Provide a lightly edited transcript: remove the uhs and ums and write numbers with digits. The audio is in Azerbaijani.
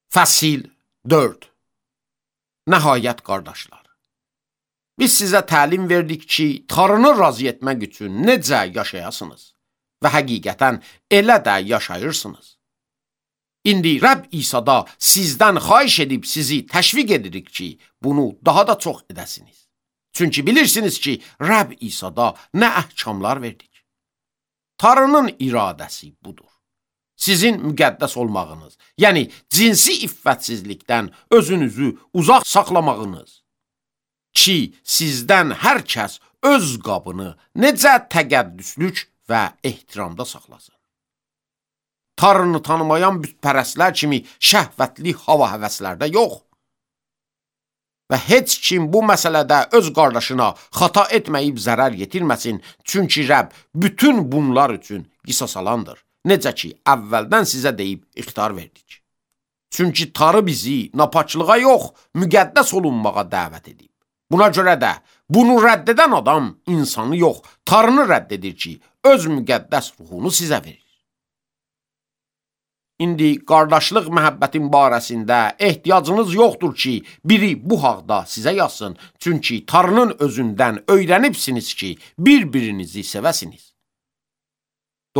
Fəsil 4. Nəhayət qardaşlar, biz sizə təlim verdik ki, Tanrını razı etmək üçün necə yaşayasınız və həqiqətən elə də yaşayırsınız. İndi Rəbb İsa'da sizdən xahiş edib sizi təşviq edirik ki, bunu daha da çox edəsiniz. Çünki bilirsiniz ki, Rəbb İsa'da nə əhkamlar verdik. Tanrının iradəsi budur. Sizin müqəddəs olmağınız, yəni cinsi iffətsizlikdən özünüzü uzaq saxlamağınız ki, sizdən hər kəs öz qabını necə təqəddüslük və ehtiramda saxlasın. Tanrını tanımayan bütpərəstlər kimi şəhvətli hava həvəslərdə yox. Və heç kim bu məsələdə öz qardaşına xata etməyib zərər yetirməsin, çünki Rəbb bütün bunlar üçün qisas alandır. Necə ki, əvvəldən sizə deyib ixtar verdik. Çünki Tanrı bizi napaçlığa yox, müqəddəs olunmağa dəvət edib. Buna görə də bunu rədd edən adam insanı yox, Tanrını rədd edir ki, öz müqəddəs ruhunu sizə verir. İndi qardaşlıq məhəbbətin barəsində ehtiyacınız yoxdur ki, biri bu haqda sizə yazsın. Çünki Tanrının özündən öyrənibsiniz ki, bir-birinizi sevəsiniz.